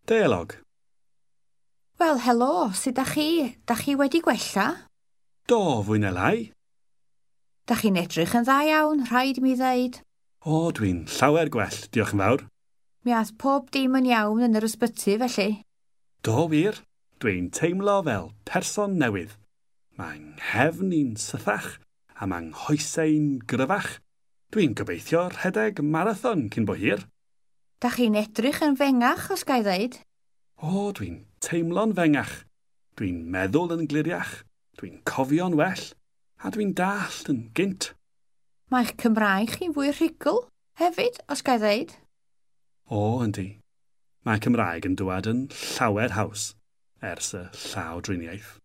Deialog. Wel, helo, sut da chi? Da chi wedi gwella? Do, fwy na lai. Da chi'n edrych yn dda iawn, rhaid mi ddeud. O, dwi'n llawer gwell, diolch yn fawr. Mi ath pob dim yn iawn yn yr ysbyty, felly. Do, wir. Dwi'n teimlo fel person newydd. Mae 'nghefn i'n sythach a mae 'nghoesau'n gryfach. Dwi'n gobeithio rhedeg marathon cyn bo hir. Da chi'n edrych yn fengach, os ga i ddeud. O, dwi'n teimlo'n fengach. Dwi'n meddwl yn gliriach. Dwi'n cofio'n well. A dwi'n dallt yn gynt. Mae'ch Cymraeg chi'n fwy rhugl, hefyd, os ga i ddeud. O, yndi. Mae Cymraeg yn dŵad yn llawer haws ers y llawdriniaeth.